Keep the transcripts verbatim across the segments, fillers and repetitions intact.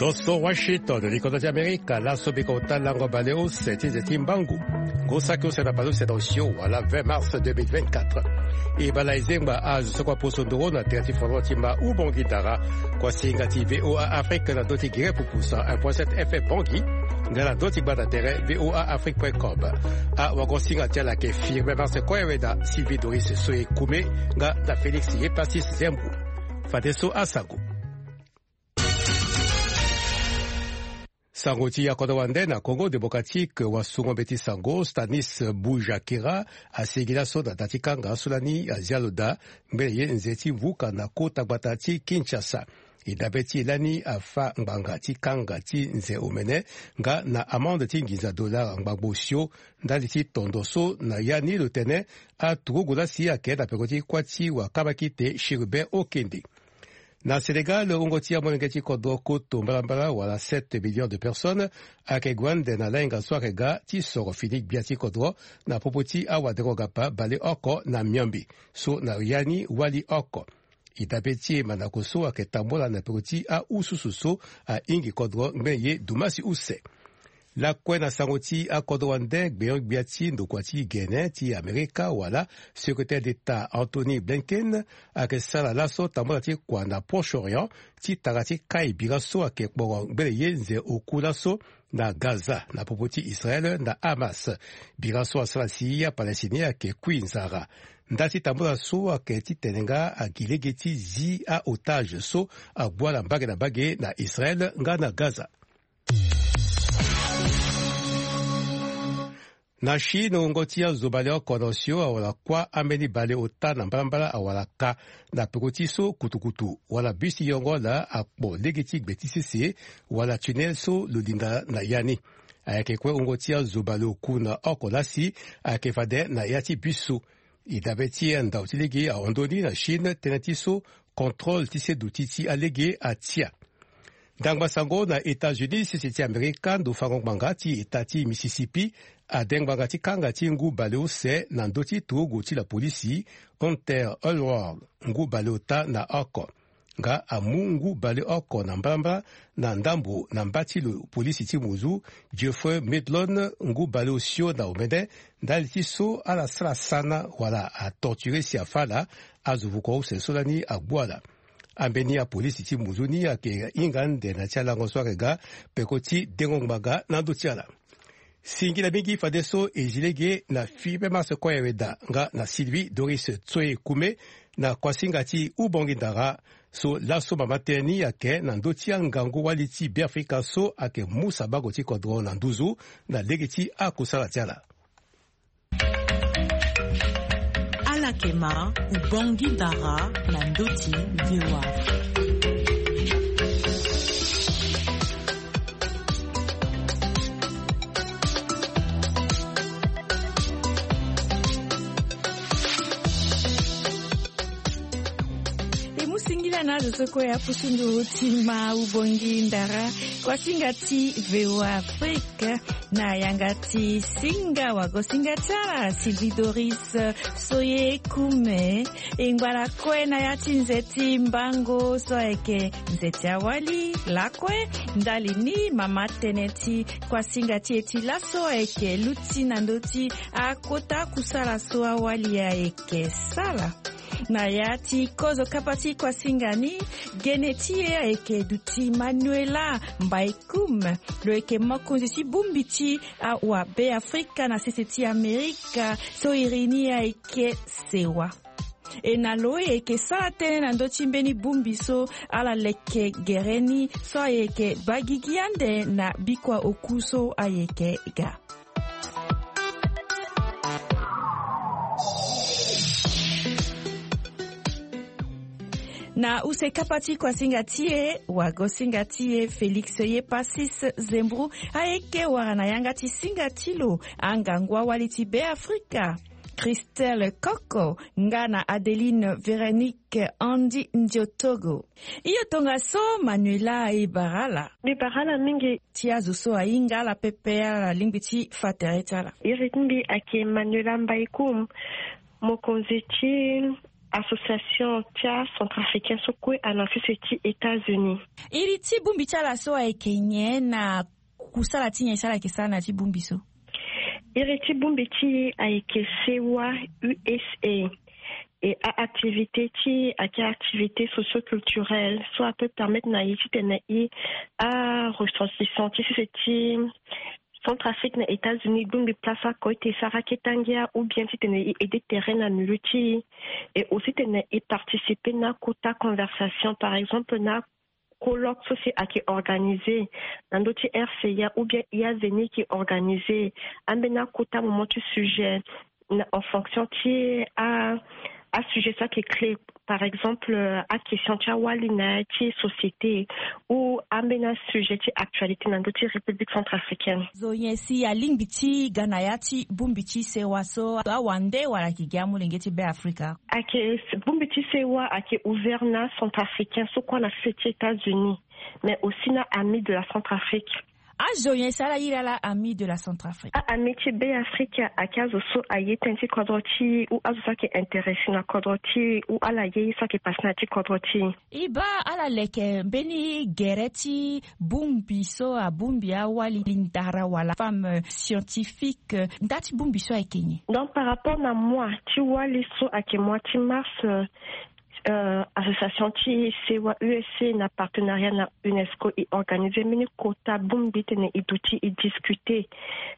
Toso Washington, likoto ti Amerika. Laso biko ota lango baleuse ti nze ti mbangu. Ngu saki use na baleuse na osio wala vingt mars deux mille vingt-quatre. E bala e zengba azo so kua poso ndoro na tere ti foro ti ma Ubongi Dara. Kua singa ti V O A Afrique na ndö ti gere pupu cent un point sept F M Bangui. Nga na ndö ti gbata tere V O A Afrique point com. Awagosinga ti ala ayeke Firmin Marse Koyeweda, Sylvie Doris Soye Kume, nga na Félix Yepassis Zembo. Fadeso asango. Sango ti akodro wande na Congo Démocratique, wasungo mbeti sango Stanis Bujakera asigi laso na da ti kanga so lani azia lo daa ngbene ye nze ti vuka na kota gbata ti Kinshasa. E dabe ti e lani afa ngbanga ti kanga ti nze omene nga na amende ti nginza dollar ngbangbo osio ndali ti tondo so na ya ni lo tene aturugu lasi ayeke na peko ti kuâ ti wakabakite Chérubin Okende. Na Sénégal, wungo ti amolenge ti kodro koto mbalambala wala sept millions de personnes ayeke gue ande na lahinga so ayeke ga ti soro fini gbia ti kodro na popo ti awadengo-gapa baleoko na miombe so na ya ni wali oko. E dabe ti e mandako so ayeke tambula na peko ti aususu so ahingi kodro ngbene ye dumasi use. Lakue na sango ti akodro wande, gbenyo-gbia ti ndokua ti gene ti Amerika wala secrétaire d'État Anthony Blinken ayeke sara laso tambula ti kua na Proche-Orient ti tara ti kai bira so ayeke kporo ngbene ye nze oku laso na Gaza na popo ti Israël na Hamas. Bira so asara si aPalestinien ayeke kui nzara. Nda ti tambula so ayeke titene nga agi lege ti zi aotage so agbua na mbage na mbage na Israël nga na Gaza. Na Chine, wungo ti azo baleoko na osio awara kuâ ambeni baleota na mbalambala awara ka na peko ti so kutukutu wala bus ti yongo laa akpo lege ti gbe ti sese wala tunnel so lo linda na ya ni. Ayeke kue wungo ti azo baleoku na oko lasi ayeke fade na ya ti bus so. E dabe ti andau ti lege ahon ndö ni na Chine tënë ti so contrôle ti se duti ti alege atia. Ndangba sango na États-Unis, sese ti Amerika, ndo fango ngbanga ti eta ti Mississippi ade ngbanga ti kanga ti ngu baleuse na ndö ti turugu ti lapolisi Hunter Elword, ngu baleota na oko. Nga amu ngu baleoko na mbalambala na ndambo na mba ti lo polisi ti muzu Jeffrey Medlon, ngu baleosio na omene ndali ti so ala sara sana wala atorture si afâ ala azo vuko use so lani agbu ala. Ambeni apolisi ti muzu ni ayeke hinga ande na ti alango so ayeke ga peko ti dengo ngbanga na ndö ti ala. Singila mingi fadeso e zi lege na Firmin Marse Koyeweda nga na Sylvie Doris Tsoe Kume na kuasinga ti Ubongi Ndara so laso mama tënë ni ayeke na ndö ti angangu-wali ti Beafrika so ayeke mu sabango ti kodro na nduzu na lege ti akusala ti ala. Ala yeke ma Ubongi Ndara na ndö ti V O A. E mu singila na azo so kue apusu nduru ti ma Ubongi Ndara, kuasinga ti V O A Afrique, na yanga ti singa wagosinga ti ala Sylvie Doris Soye Kume. E ngba lakue na ya ti nze ti mbango so ayeke nze ti awali lakue. Ndali ni mama tënë ti kuasinga ti e ti laso ayeke luti na ndö ti akota kusala so awali ayeke sala. Na ya ti kozo kapa ti kuasinga ni, gene ti e ayeke duti Manuela Mbaekum. Lo yeke mokonzi ti bongbi ti awabe Afrika na sese ti Amerika so iri ni ayeke sewa. E na lo e yeke sara tënë na ndö ti mbeni bongbi so ala leke gere ni so ayeke baa gigi ande na bikua oku so ayeke ga. Na use kapa ti kuasinga ti e, wagosinga ti e Félix Yepassis Zembro ayeke wara na yanga ti singa ti lo angangu awali ti Beafrika, Christelle Koko nga na Adeline Véronique Andy Ndiotogo. Iyo, tongaso Manuela, e bara ala. Mbi bara ala mingi. Ti azo so ahinga ala pepe, ala lingbi ti fa tere ti ala. Iri ti mbi ayeke Manuela Mbaekum, mokonzi ti association ti acentrafricain so kue ana sese ti États-Unis. Iri ti bongbi ti ala so ayeke nyen na kusala ti nyen si ala yeke sara na ya ti bongbi so? Iri ti bongbi ti e ayeke sewa U S A. E a-activité ti e ayeke activité socio-culturelle so apeut permettre na e titene e aressortissant ti sese ti Centrafrique na États-Unis, bongbi place oko ete e sara kete ngia ou bien titene e aider terrain na milieu ti e. Et aussi titene e participer na kota conversation, par exemple na colloque so si ayeke organisé na ndö ti R C A ou bien I A Zeni ayeke organisé, ambeni akota moment ti sujet na, en fonction ti a, asujet so ayeke clé, par exemple, euh, aquestion ti awali na ya ti société ou ambeni asujet ti actualité na ndö ti République centrafricaine. Zo nyen si alingbi ti ga na ya ti bongbi ti sewa so, awande wala ayeke gi amolenge ti Beafrika? Ayeke, bongbi ti sewa ayeke ouvert na centrafricain so kue na sese ti États-Unis, mais aussi na ami de la Centrafrique. Azo nyen si ala iri ala ami de la Centrafrique? A-ami ti Beafrika ayeke azo so aye tënë ti kodro ti e ou azo so ayeke intéressé na kodro ti e ou ala ye ye so ayeke passé na ya ti kodro ti e. E baa ala leke mbeni gere ti bongbi so abongbi awali ndara wala femme scientifique, nda ti bongbi so ayeke nyen? Donc par rapport na mois ti wali so ayeke mois ti mars, euh, euh, association ti sewa U S A na partenariat na UNESCO e organisé mbeni kota bongbi titene e duti e discuter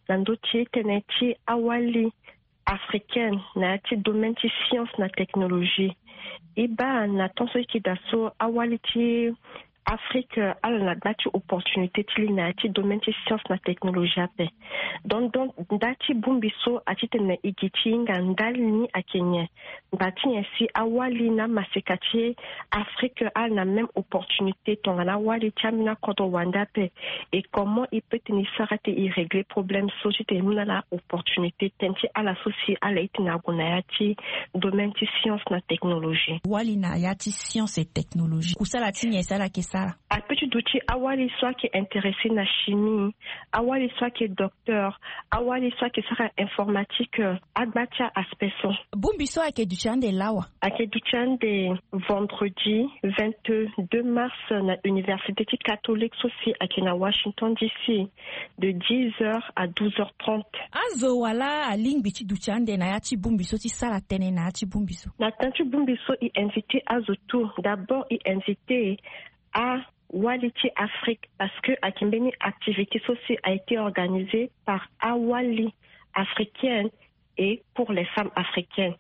na ndö ti tënë ti awali africaine na ya ti domaine ti science na technologie. E baa na temps so e yeke daa so awali ti Afrique, euh, ala na gba ti opportunité ti li na ya ti domaine ti science na technologie ape. Donc, donc nda ti bongbi so atitene e gi ti hinga ndali ni ayeke nyen? Nda ti nyen si awali na amaseka ti Afrique ala na même opportunité tongana awali ti ambeni akodro wande ape? Et comment e peut titene e sara ti e régler problème so titene e mu na ala opportunité tënë ti ala so si ala ye titene ague na ya ti domaine ti science na technologie? Wali na ya ti science et technologie, kusala ti nyen si ala yeke sara? Ape ti duti awali so ayeke intéressé na chimie, awali so ayeke docteur, awali so ayeke sara informatique, euh, agba ti a-aspect so. Bongbi so ayeke duti ande lawa? Ayeke duti ande vendredi vingt-deux mars na université ti catholique so si ayeke na Washington D C de dix heures à douze heures trente. Azo wala alingbi ti duti ande na ya ti bongbi so ti sara tënë na ya ti bongbi so? Na temps ti bongbi so e invité azo tout. D'abord e invité awali ti Afrique parce que ayeke mbeni activité so si a été organisé par awali africaine et pour les femmes africaines.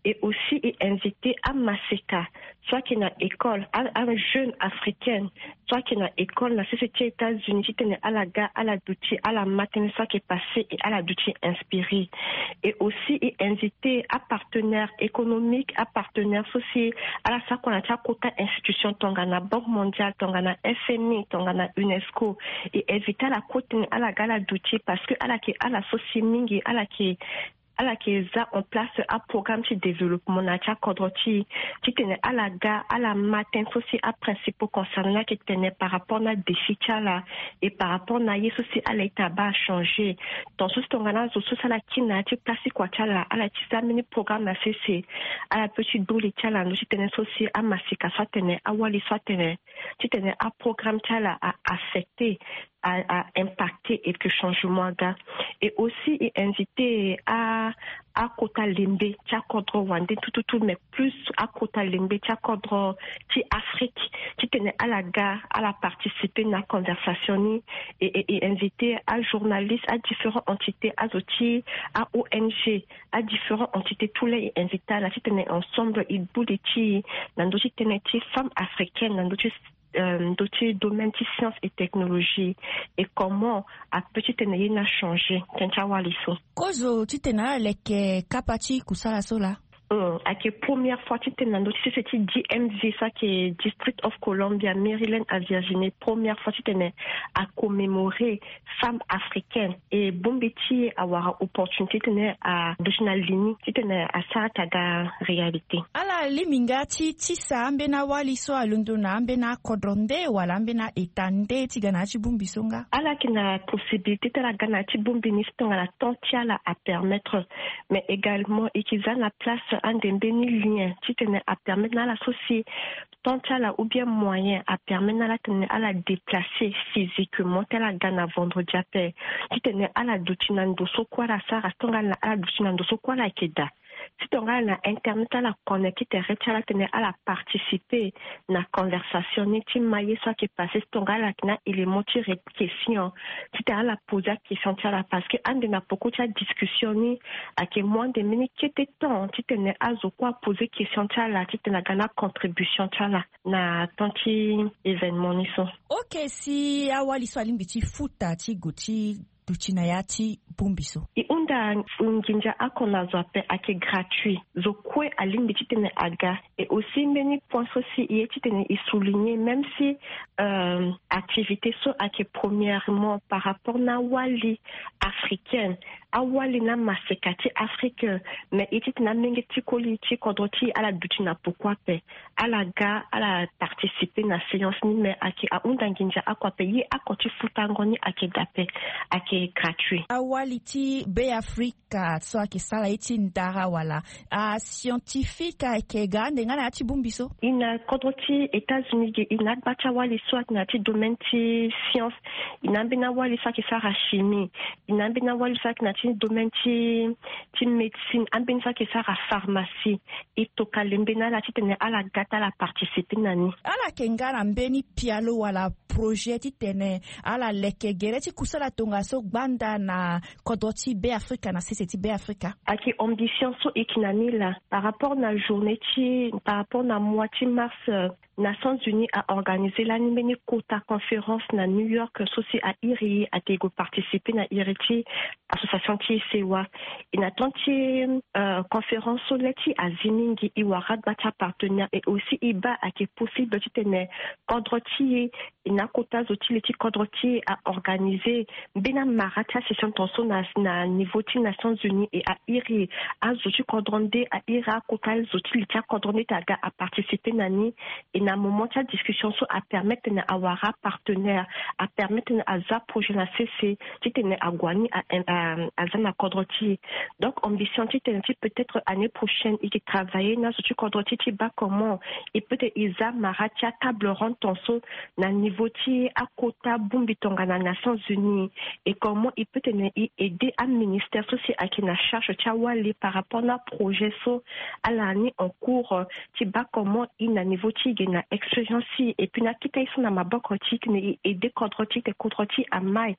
Et aussi e invité amaseka so ayeke na école, a, ajeune africaine so ayeke na école na sese ti États-Unis titene ala ga ala duti ala ma tënë so ayeke passé et ala duti inspiré. Et aussi e invité apartenaire économique, apartenaire so si ala sara kua na ti akota institution tongana Banque mondiale, tongana F M I, tongana UNESCO. E invité ala kue titene ala ga ala duti parce que ala yeke ala so si mingi ala yeke ala yeke za en place aprogramme ti développement na ya ti akodro ti e titene ala ga ala ma tënë so si aprincipaux concernés ni ayeke tene par rapport na défi ti ala et par rapport na ye so si ala ye titene abaa changé. Tant so si tongana azo so si ala kiri na ya ti place ti kua ti ala ala ye ti za mbeni programme na sese, ala peut ti du li ti ala na ndö ti tënë so si amaseka so atene awali so atene titene aprogramme ti ala a affecté, a, a impacté et que changement aga. Et aussi e invité a, akota lembe ti akodro wande tout tout tout, mais plus akota lembe ti akodro ti Afrique titene ala ga ala participer na conversation ni. Et, et, et invité ajournaliste, adifférent entité, azo ti a-O N G, adifférent entité, tout laa e invité ala titene ensemble e du li ti e na ndö ti tënë ti femme africaine na ndö ti euh, ndö ti domaine ti science et technologie, et comment apeut titene ye ni achangé tënë ti awali so. Kozo titene ala leke kapa ti kusala so laa? Hum, ayeke première fois titene na ndö ti sese ti D M V, so ayeke District of Columbia, Maryland, à Virginie, première fois titene acommémoré femme africaine. E bongbi ti e awara opportunité titene aduti na li ni titene asara ti aga réalité. Ala lingbi nga ti tisa ambeni awali so alondo na ambeni akodro nde wala ambeni a-État nde ti ga na ya ti bongbi so nga? Ala yeke na possibilité ti ala ga na ya ti bongbi ni si tongana temps ti ala apermettre. Mais également e yeke za na place ande mbeni lien titene apermettre na ala so si temps ti ala ou bien moyen apermettre na ala titene ala déplacer physiquement ti ala ga na vendredi ape, titene ala duti na ndo so kue ala sara, tongana ala duti na ndo so kue ala yeke daa, titongana na internet ala connecter ti tere ti ala titene ala participer na conversation ni ti maye so ayeke passer, titongana ala yeke na élément ti re- question, titene ala poser question ti ala parce que ande na poko ti adiscussion ni ayeke mu ande mbeni kete temps titene azo kue aposer question ti ala titene aga na contribution ti ala na temps ti événement ni so. Ok, si awali so alingbi ti futa ti gue ti duti na ya ti bongbi so? E hunda nginza oko na zo ape, ayeke gratuit. Zo kue alingbi titene aga. Et aussi mbeni point so si e ye titene e souligner, même si euh, activité so ayeke premièrement par rapport na awali africaine, awali na maseka ti Afrique, mais e ye titene amenge ti koli ti kodro ti e ala duti na poko ape, ala ga ala participer na séance ni, mais ayeke ahunda nginza oko ape, ye oko ti futango ni ayeke daa ape, ayeke gratuit. Awali ti Beafrika so ayeke sara ye ti ndara wala ascientifique ayeke ga ande nga na ya ti bongbi so? E na kodro ti États-Unis ge, e na agba ti awali so ayeke na ya ti domaine ti science, e na ambeni awali so ayeke sara chimie, e na ambeni awali so ayeke na ya ti domaine ti ti médecine, ambeni so ayeke sara pharmacie. E tokua lembe na ala titene ala ga ti ala participer na ni. Ala yeke nga na mbeni pialo wala projet titene ala leke gere ti kusala tongaso gbanda na kodro ti Beafrika, na sese ti Beafrika? Ayeke ambition so e yeke na ni laa par rapport na journée ti, par rapport na mois ti mars, euh, Nations Unies a organisé lani mbeni kota conférence na New York so si a iri e ake gue participer na iri ti association ti e sewa. E na temps ti euh, conférence so le ti e azi mingi, e wara gba ti apartenaire et aussi e baa ake possible titene kodro ti e, e na akota zo ti le ti kodro ti e a organisé mbeni amara ti asession tongaso na, na niveau ti Nations Unies, e a iri azo ti kodro nde, a iri akota zo ti li ti akodro nde ti aga a participer na ni. E na moment ti adiscussion so a permettre na awara apartenaire, a permettre na aza projet na sese titene ague ni a, a, aza na kodro ti e. Donc ambition titene ti peut-être année prochaine e ke travailler na zo ti kodro ti e ti baa comment e peut-être e za mara ti atable ronde tongaso na niveau ti akota bongbi tongana Nations Unies. Et comment e peut tene e aider aministère so si ayeke na charge ti awali par rapport na projet so ala ni en cours, euh, ti baa comment e na niveau ti e ge na expérience ti e, et puis na akita e so na maboko ti e titene e aider kodro ti e titene kodro ti e amai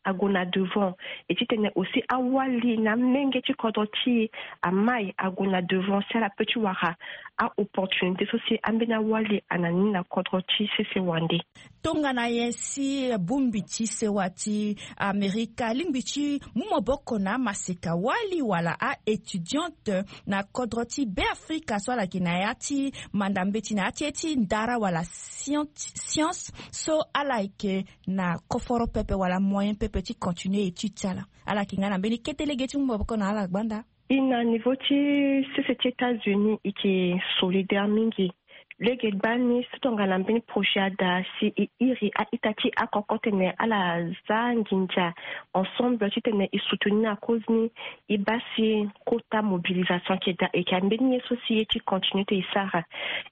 ague na devant. Et titene aussi awali na amenge ti kodro ti e amai ague na devant si ala peut ti wara a-opportunité so si ambeni awali ana ni na kodro ti sese wande. Tongana nyen si bongbi ti sewa ti Amerika alingbi ti mu maboko na amaseka wali wala a-étudiante na kodro ti Beafrika so ala yeke na ya ti manda mbeti na ya ti ye ti ndara wala scient- science so ala yeke na koforo pepe wala moyen pepe ti continuer étude ti ala? Ala yeke nga na mbeni kete lege ti mu maboko na ala gbanda? E na niveau ti sese ti États-Unis e yeke solidaire mingi. Lege gbani si tongana mbeni projet ada si e iri a-ita ti akoko tene ala za nginza ensemble titene e soutenir akoz ni, e baa si kota mobilisation ayeke daa, e yeke mbeni ye so si e ye ti continuer ti e sara.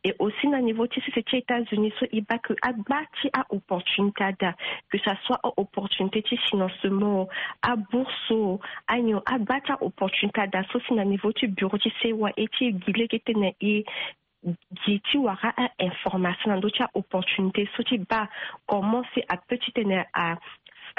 Et aussi na niveau ti sese ti États-Unis so e baa ke agba ti a-opportunité ada, que ça soit a-opportunité ti financement, abourse, anyon agba ti a-opportunité ada so si na niveau ti bureau ti sewa e ti gi lege titene e gi ti wara a-information na ndö ti a-opportunité so ti baa comment si a peut titene a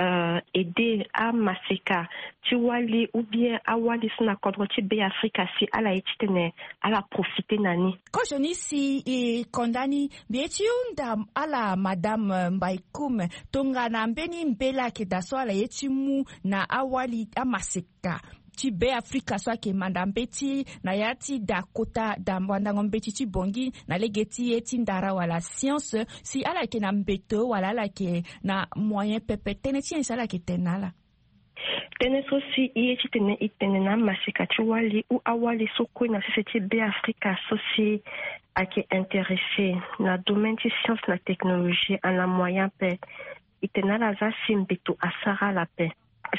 euh, aider amaseka ti wali ou bien awali so na kodro ti Beafrika si ala ye titene ala profiter na ni. Kozoni si e konda ni, mbi ye ti hunda ala madame, euh, Mbaïkoum, tongana mbeni mbela ayeke daa so ala ye ti mu na awali amaseka ti Beafrika so ayeke manda mbeti na ya ti da kota da wandango mbeti ti Bangui na lege ti ye ti ndara wala science, si ala yeke na mbeto wala ala yeke na moyen pepe, tënë ti nyen si ala yeke tene na ala? Tënë so si e ye titene e tene na amaseka ti wali ou awali so kue na sese ti Beafrika so si ayeke intéressé na domaine ti science na technologie, ana moyen ape. E tene na ala za si mbeto asara ala ape.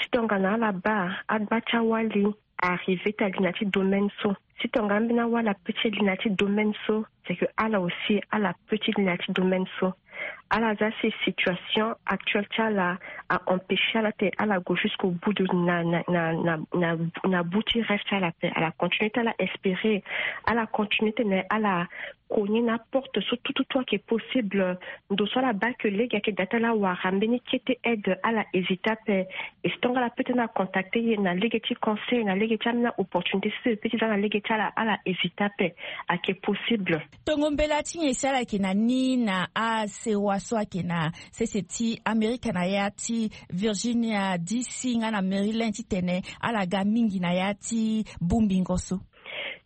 Si tongana ala baa agba ti awali arriver ti ali na ti domaine so. Si tonga ambeni awali ape ti ali na ti domaine so, c'est que ala aussi ala pe ti li na ti domaine so. Ala za si situation actuelle ti ala a empêcher ala ti ala go jusqu'au bout de na na na na na bu ti rêve ti ala pe. Ala continue ti ala espérer, ala continue ti na ala cogner na porte so tout tout tout ake possible. Ndo so ala baa ke lege ake da ti ala wara mbeni kete aide, ala hésiter ape. Et si tonga ala pe ti na contacter ye na lege ti conseil, na lege ti ambeni opportunité so e pe ti za na lege ti ala, ala hésiter ape. Ake possible. Tongo mbela ti nyen si ala yeke na ni na asewa so ayeke na sese ti Amerika na ya ti Virginia D C nga na Maryland titene ala ga mingi na ya ti bongbingo so?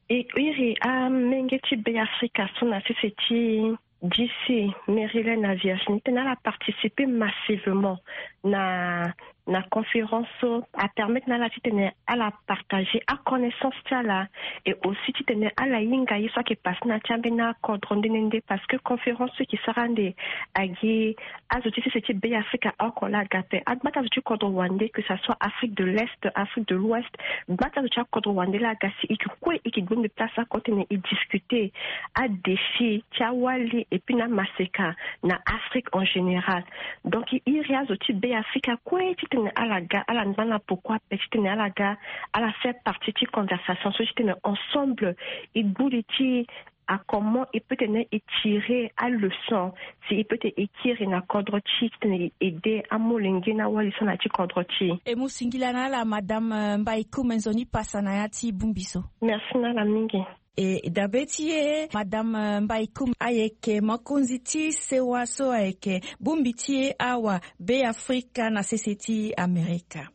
E iri amenge ti Beafrika so na sese ti D C, Maryland na Virginie titene ala participer massivement na na conférence so, apermettre na ala titene ala partager aconnaissance ti ala. Et aussi titene ala hinga ye so ayeke passe na ya ti ambeni akodro nde nde nde, parce que conférence so e ke sara ande agi azo ti sese ti Beafrika oko laa aga ape. Agba ti azo ti kodro wande, que ça soit Afrique de l'Est, Afrique de l'Ouest, gba ti azo ti akodro wande laa aga si e ke kue e ke gbu mbi place oko titene e discuter adéfi ti awali et puis na amaseka na Afrique en général. Donc e iri azo ti Beafrika kue titene ala ga, ala ngba na poko ape titene ala ga, ala faire partie ti conversation so titene ensemble e gbu li ti a comment e peut tene e tirer aleçon, si e peut tene e kiri na kodro ti e titene e aider amolenge na awali so na ya ti kodro ti e. E mu singila na ala madame, euh, Mbaïkoum, nzoni pasa na ya ti bongbi so. Merci na ala mingi. E dabe ti e, madame Mbaïkoum ayeke mokonzi ti sewa so ayeke bongbi ti e awa Beafrika na sese ti Amerika.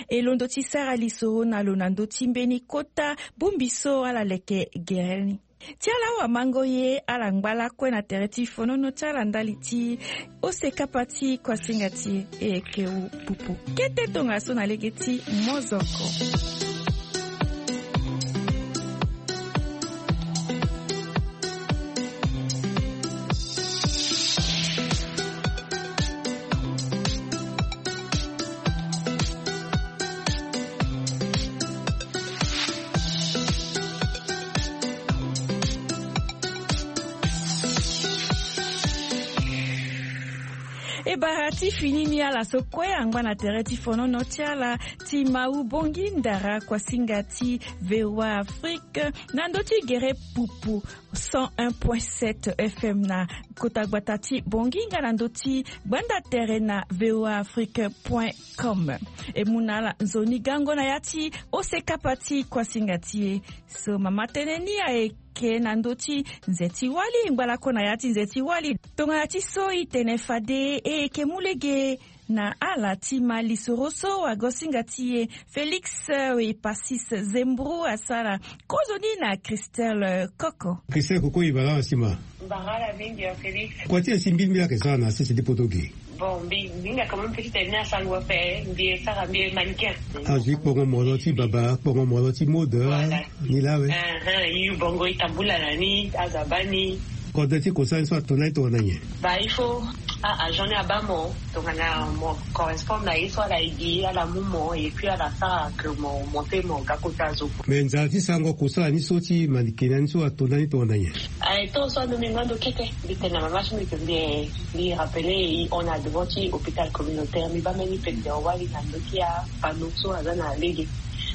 E londo ti sara lisoro na lo na ndö ti mbeni kota bongbi so ala leke gere ni. Ti ala awamango ye, ala ngba lakue na tere ti fonono ti ala ndali ti ose kapa ti kuasinga ti e, e yeke wu pupu. Kete tongaso na lege ti mozoko. E bara ti fini ni, ala so kue angba na tere ti fonono ti ala ti Mawu Bongi Ndara, kuasinga ti V O A Afrique, na ndö ti gere pupu cent un point sept F M na kota gbata ti Bongi nga na ndö ti gbanda tere na V O A Afrique point com. E mu na ala nzoni gango na ya ti ose kapa ti kuasinga ti e. So mama tënë ni ayeke na ndö ti nze ti wali, ngbalako na ya ti nze ti wali. Tongana ti so e tene fade e yeke mu lege na ala ti ma lisoro so wagosinga ti e Félix, euh, Epasis Zembro asara kozoni na Christelle Koko. Christelle Koko, e baa laa si ma. Mbara ala mingi ya Félix. Kua ti e si mbi mbi ayeke sara na sese ti poto ge? Bon, mbi, mbi hinga quand même petit tene ni asango ape, mbi e sara, mbi e mannequin. Azo ti kpongo molo ti baba, kpongo molo ti mode. Voilà. Ni laa we. Ahan, e yu bongo e tambula na ni, azo abaa ni. Kodro ti kosala ni so ato na ni tongana nyen? Bah, il faut a-agent ni abaa mo tongana mo correspond na ye so ala ye gi, ala mu mo, et puis ala sara que mo monter mo ga kota zo. Mais nzara ti sango kosala ni so ti mannequinat ni so ato na ni tongana nyen? Aye, tongaso ando mbi ngba ndo kete. Mbi tene na mama ti mbi que mbi, mbi rappeler e hon na devant ti hôpital communautaire. Mbi baa mbeni pekpeko wali na ndö ti apanneau so aza na lege.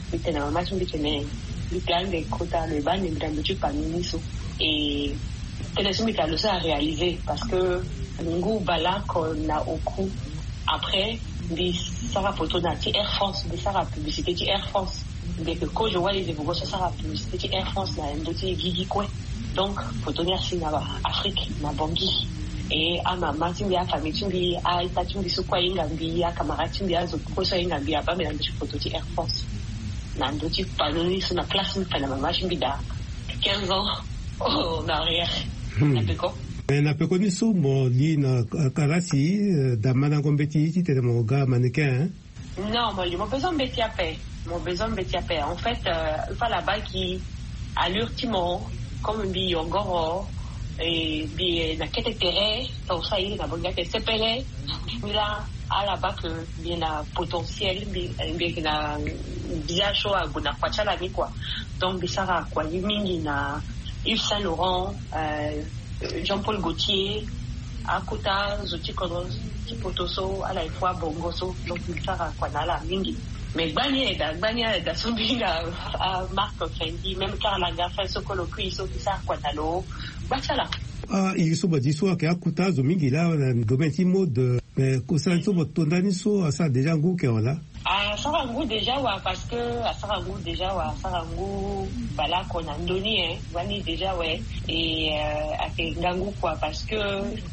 Mbi tene na mama ti mbi tene mbi pe ande kota lo e baa ande mbi na ndö ti panneau ni so. E tënë so mbi tene lo so aréaliser, parce que ngu baleoko na oku. Après mbi sara poto na ti Air France, mbi sara publicité ti Air France. Mbi yeke kozo wali ze vogo so asara publicité ti Air France na ndö ti gigi kue. Donc poto ni asi na Afrique, na Bangui. E amama ti mbi, afamille ti mbi, a-ita ti mbi so kue ahinga mbi, acamarade ti mbi, azo kue so ahinga mbi abaa mbi na ndö ti poto ti Air France, na ndö ti panneau ni so, na place mbi fa na mama ti mbi daa quinze ans en arrière. Hmm. Na peko. Mais na peko ni so mo li na kalasi, euh, da mandango mbeti titene mo ga mannequin, hein? Non, mo li, mo besoin mbeti ape. Mo besoin mbeti ape. En fait, euh, il faut ala baa gi allure ti mo, comme mbi yongoro, e mbi na kete tere, tongaso aye na Bongi ake sepele. Mbi laa Ala baa ke mbi na potentiel, mbi yeke na biaso ague na kua ti ala ni kua. Donc mbi sara kua ni mingi na Yves Saint Laurent, Jean Paul Gaultier, akota zo ti kodro ti poto so ala ye fu abongo so. Donc mbi sara kua na ala mingi. Mais gbani aye daa gbani aye daa so mbi hinga, Marc Fendi, même Karl Lagerfeld so kolo kui so mbi sara kua na lo. Gba ti ala. Ah, iri so badi so ayeke akota azo mingi laa na domaine ti mode. Mais kosala ni so mo to ndani so asara déjà ngu ke wala? Asara ngu déjà wa, parce que asara ngu déjà wa, asara ngu baleoko na ndö ni, hein. Wani déjà we. E ayeke ngangu kua, parce que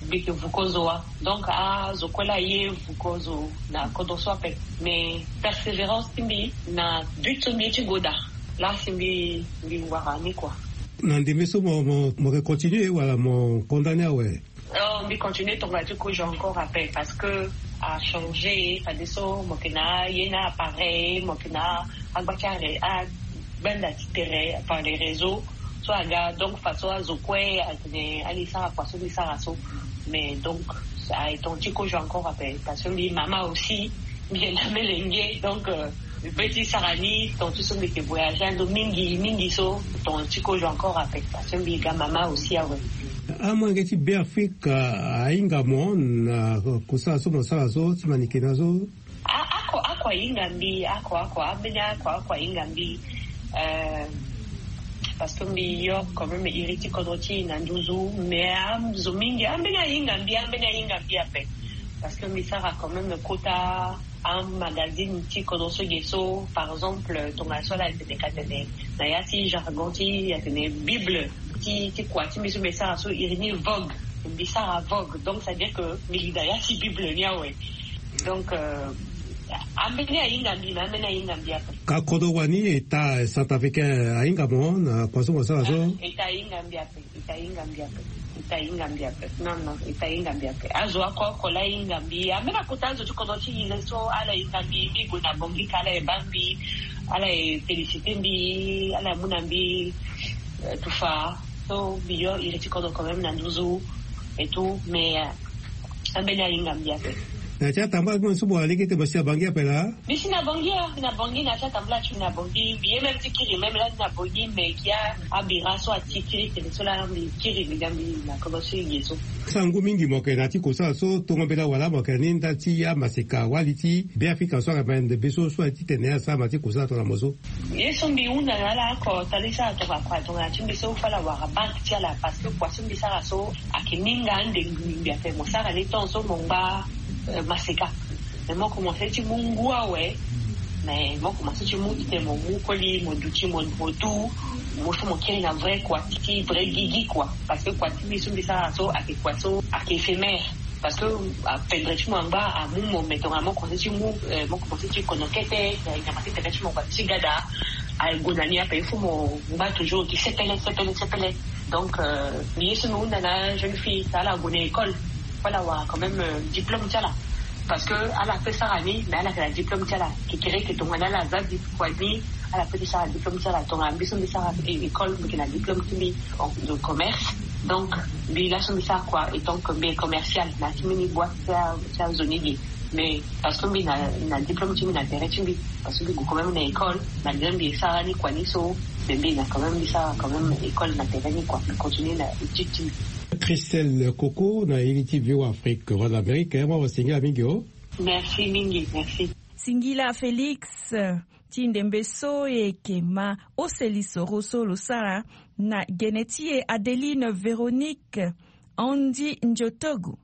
mbi yeke vuko zo wa. Donc azo kue laa aye vuko zo na kodro so ape. Mais persévérance ti mbi na but so mbi ye ti go daa. Laa si mbi mbi wara ni kua. Na ndembe so mo mo mo yeke continuer wala mo condamner awe? Oh, mbi continue tongana ti kozo encore ape, parce que achangé. Fadeso mo yeke na aye na appareil, mo yeke na agba ti are agbanda ti tere par les réseaux. So aga donc fadeso azo kue atene ali sara kua so mbi sara so. Mais donc aye tongana ti kozo encore ape, parce que mbi mama aussi, mbi yeke na melenge. Donc euh, mbi pe ti sara ni tongana ti so mbi yeke voyage ando mingi mingi so. Tongana ti kozo encore ape, parce que mbi ga mama aussi awe. Amolenge ti Beafrika ahinga mo na kosala so mo sara so ti manike na so? Ako ako ahinga mbi, ako ako ambeni ako ako ahinga mbi. Euh, parce que mbi yo quand même iri ti kodro ti e na nduzu. Mais azo mingi ambeni ahinga mbi, ambeni ahinga mbi ape. Parce que mbi sara quand même kota amagazine ti kodro so ge so, par exemple tongana so ala tene ka tene na ya ti jargon ti atene bible ti ti kua ti mbi so mbi sara so iri ni Vogue. Mbi sara Vogue, donc ça veut dire que mbi li na ya ti bible ni awe. Donc euh, ambeni ahinga mbi, mais ambeni ahinga mbi ape. Ka kodro wani eta centrafricain ahinga mo na kua so mo sara so? Eta ahinga mbi ape. Eta ahinga mbi ape. Eta ahinga mbi ape. Non non, eta ahinga mbi ape. Azo oko oko la ahinga mbi, ambeni akota azo ti kodro ti e so ala hinga mbi. Mbi gue na Bangui ka ala ye baa mbi, ala ye féliciter mbi, ala ye mu na mbi tufa. So mbi yo iri ti kodro quand même na nduzu et tout, mais ambeni ahinga mbi ape. Na ti atambula ti mo so mo wara lege ti mo si na Bangui ape laa? Mbi si na Bangui, ah, mbi na Bangui, na ti atambula ti mbi na Bangui. Mbi ye même ti kiri même lani na Bangui, mais gi abira so ati kiri tene so laa mbi kiri mbi ga mbi na kodro ti e ge so. Sango mingi mo yeke na ti kosala so tongo mbela wala mo yeke ni nda ti amaseka wali ti Beafrika so ayeke mende be so so aye ti tene asara ma ti kosala tongana mo so? Ye so mbi hunda na ala oko tali sara tongana kua tongana ti mbi so fo ala wara banque ti ala, parce que kua so mbi sara so ayeke minga ande ngbi ngbi ape. Mo sara ni temps so mo ngba maseka. Mais mo commence ti mu ngu awe. Mais mo commence ti mu titene mo mu koli mo duti mo mo du. Mo so mo kiri na vrai kua ti vrai gigi kua. Parce que kua ti mbi so mbi sara so ayeke kua so ayeke éphémère. Parce que apendre ti mo angba amu mo, mais tongana mo commence ti mu, mo commence ti kono kete, nyama ti tene ti mo kua ti gada. Aye gue na ni ape il faut mo ngba toujours ti sepele sepele sepele. Donc euh, mbi ye so mbi hunda na jeune fille ti ala ague na école, fo ala wara quand même euh, diplôme ti ala. Parce que ala pe sara ni mais ala yeke na diplôme ti ala. Kekere yeke tongana ala za di kua ni, ala pe ti sara diplôme ti ala. Tongana mbi so mbi sara école mbi yeke na diplôme ti mbi de commerce. Donc mbi laso mbi sara kua et donc mbi ye commercial na ti mbeni boite ti azo ni ge. Mais parce que mbi na na diplôme ti mbi na tere ti mbi, parce que mbi gue quand même na école, malgré mbi sara ni kua ni so, mais mbi na quand même mbi sara quand même école na tere ni kua, mbi continue na étude ti mbi. Christelle Coco na iri ti V O A Afrique, Voix d'Amérique, mo wasingila mingi o. Merci mingi, merci. Singila Félix ti ndembe so e yeke ma ose lisoro so lo sara na gene ti e Adeline Véronique Andy Ndiotogo.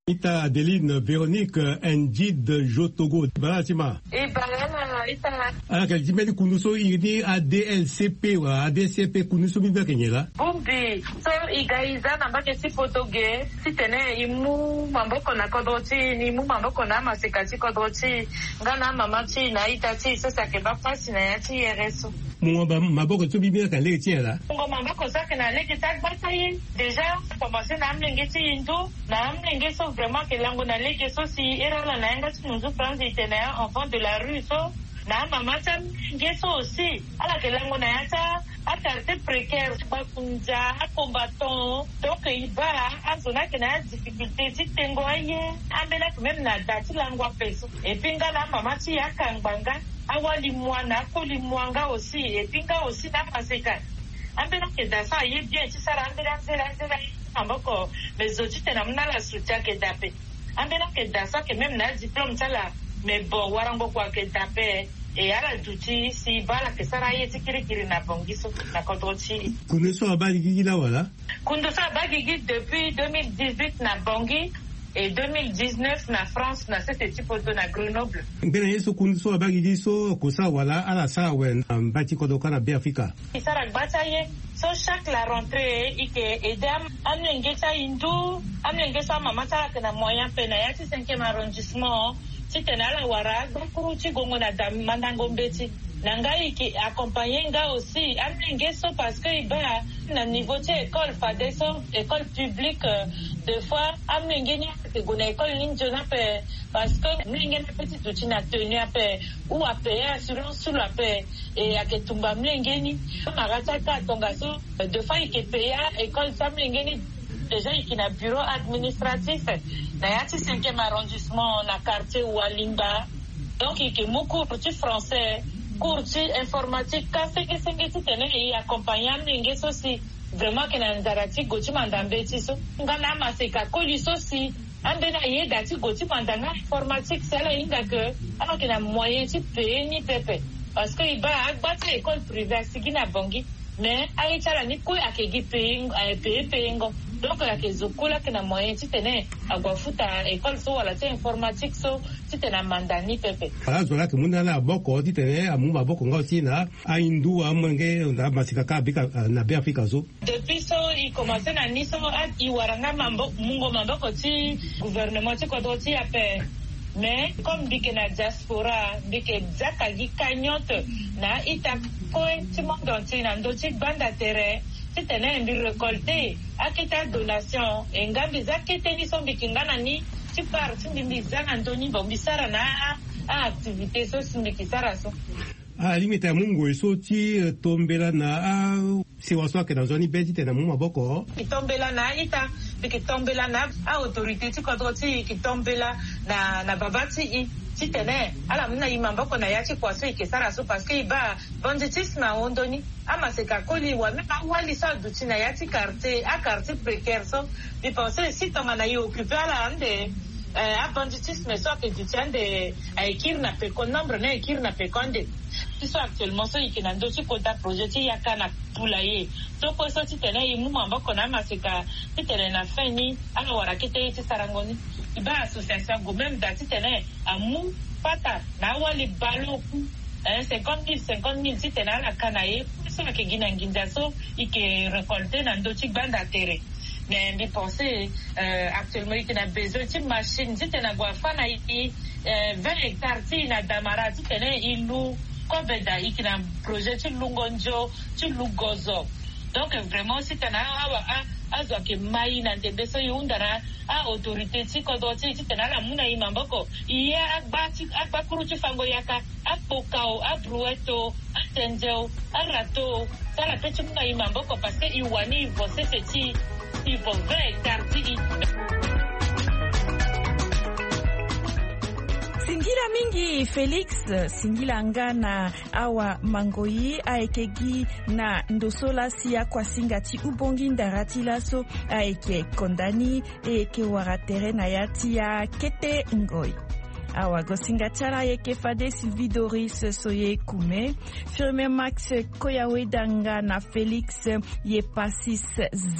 Ita Adeline Véronique Ndid Jotogo, bala ti ma. E bala ita. Ala yeke ti mbeni kundu so iri ni A D L C P wala A D C P, kundu so mbi mbeni ayeke nyen laa? Bongbi so e ga e za na mbage ti poto ge titene e mu maboko na kodro ti e, e mu maboko na amaseka ti kodro ti e nga na amama ti e na aita ti e so si ayeke baa pasi na ya ti here so. Mungo maboko so mbi mbeni ayeke na lege ti nyen laa? Mungo maboko so ayeke na lege ti agba ti e. Déjà a commencé na amolenge ti e ndo. Na amolenge so vraiment ayeke lango na lege so si ere ala na yanga ti nunzu franzi e tene enfant de la rue so. Na amama ti amolenge so aussi ala yeke lango na ya ti a quartier précaire, bakunza, acombattant. Donc e baa azo ni ayeke na adifficulté ti tengo aye. Ambeni ayeke même na da ti lango ape so. Et puis nga na amama ti e akangba nga, awali mua na akoli mua nga aussi. Et puis nga aussi na amaseka, ambeni ayeke da so aye bien ti sara ambeni anzela anzela ye ti maboko. Mais zo titene amu na ala soutien ayeke da ape. Ambeni ayeke da so ayeke même na adiplôme ti ala. Mais bon, warango kua ayeke da ape. E ala duti si e baa ala yeke sara aye ti kirikiri na Bangui so na kodro ti e. Kundu so abaa gigi laa wala? Kundu so abaa gigi depuis deux mille dix-huit na Bangui, et deux mille dix-neuf na France, na sese ti poto na Grenoble. Ngbene ye so kundu so abaa gigi so akosa wala ala sara awe na mbai ti kodro kâ na Beafrika? E sara gba ti aye so chaque la rentrée e yeke aidé am- amolenge ti ahindu, amolenge so amama ti ala ayeke na moyen ape na ya ti cinquième arrondissement, titene ala wara agbakuru ti gongo na da mandango mbeti. Na nga e yeke accompagner nga aussi amolenge so parce que e baa na niveau ti école fade so, école publique, euh, des fois amolenge ni ayeke gue na école ni nzoni ape. Parce que amolenge ni ape ti duti na tenue ape ou apayer assurance ti lo ape. Et ayeke tumba amolenge ni. Amara ti aka tongaso, euh, des fois e yeke payer école ti amolenge ni. Déjà e yeke na bureau administratif na ya ti cinquième arrondissement na quartier Walimba. Donc e yeke mu cours ti français, cours ti informatique, ka senge senge titene e accompagner amolenge so si vraiment ayeke na nzara ti gue ti manda mbeti so. Nga na amaseka koli so si ambeni aye da ti gue ti manda nga informatique si ala hinga ke ala yeke na moyen ti payer ni pepe. Parce que e baa agba ti école privée asigi na Bangui. Mais aye ti ala ni kue ayeke gi payer, eh, payer, payer ngo. Donc ayeke zo kue laa ayeke na moyen titene ague afuta école so wala ti informatique so titene amanda ni pepe. Ala zo laa ayeke mu na ala maboko titene amu maboko nga aussi na ahindu amolenge na amaseka kâ na Beafrika so. Depuis so e commencé na ni so, e wara nga mabo- mungo maboko ti gouvernement ti kodro ti e ape. Mais comme mbi yeke na diaspora, mbi yeke zia ka gi cagnotte na a-ita kue ti monde entier na ndö ti gbanda tere titene mbi récolter akete adonation. E nga mbi zia kete ni so mbi yeke nga na ni ti part ti mbi, mbi zia na ndö ni, bon, mbi sara na a- a-activité so si mbi yeke sara so. Alingbi tene amu ngoi so ti, eh, tombela na asewa so ayeke na nzoni be titene amu maboko. E tombela na a-ita, e yeke tombela na a-autorité ti kodro ti e, e yeke tombela na, na babâ ti e titene ala mu na e maboko na ya ti kua so e yeke sara so. Parce que e baa banditisme ahon ndö ni. Amaseka koli wala même awali so aduti na ya ti quartier, a-quartier précaire so, mbi pensé si tongana e occupé ala ande, eh, abanditisme so ayeke duti ande aye kiri na peko, nombre ni aye kiri na peko ande. Ti so actuellement so e yeke na ndö ti kota projet ti yaka na poulailler so kue so titene e mu maboko na amaseka titene na fin ni ala wara kete ye ti sarango ni. E baa association ague même da titene amu pata na awali baleon ku, eh, cinquante mille, cinquante mille titene ala ka na ye. Kue so ayeke gi na nginza so e yeke récolter na ndö ti gbanda tere. Mais mbi pensé, euh, actuellement e yeke na besoin ti machine titene ague afâ na e, euh, vingt hectares ti e na Damara titene e lu kobe da. E yeke na projet ti lungo nzo ti lu gozo. Donc vraiment titene awa a- azo ayeke ma e na ndembe so e hunda na a-autorité ti kodro ti e titene ala mu na e maboko. E ye agba ti- agbakuru ti fango yaka, akpokao, abrouette o, atendze o, arato o, ti ala pe ti mu na e maboko parce que e wani e vo sese ti e, e vo vingt hectares ti e. Singila mingi Félix, singila nga na awa mangoi ayeke gi na ndo so laa si akuasinga ti ubongi ndara ti laso ayeke konda ni, e yeke wara tere na ya ti akete ngoi. Awagosinga ti ala ayeke fade Sylvie Doris Soye Kume, Firmin Max Koyaweda nga na Félix Yepasis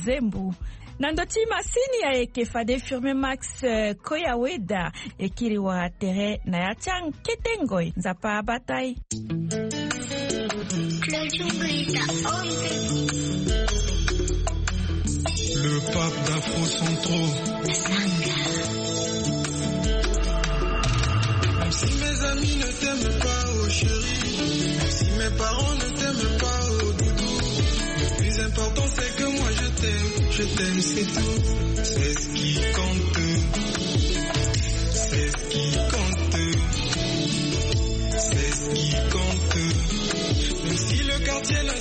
Zembu. Na ndo ti masini ayeke fade Firmin Max, eh, Koyaweda. E kiri wara tere na ya ti akete ngoi. Nzapa abata e. Le pape d'Afro Centro. Même si mes amis ne t'aiment pas, oh chérie, même si mes parents ne t'aiment pas, oh doudou, le plus important c'est que moi je t'aime, je t'aime, c'est tout. C'est ce qui compte. C'est ce qui compte. C'est ce qui compte. Même si le quartier n'a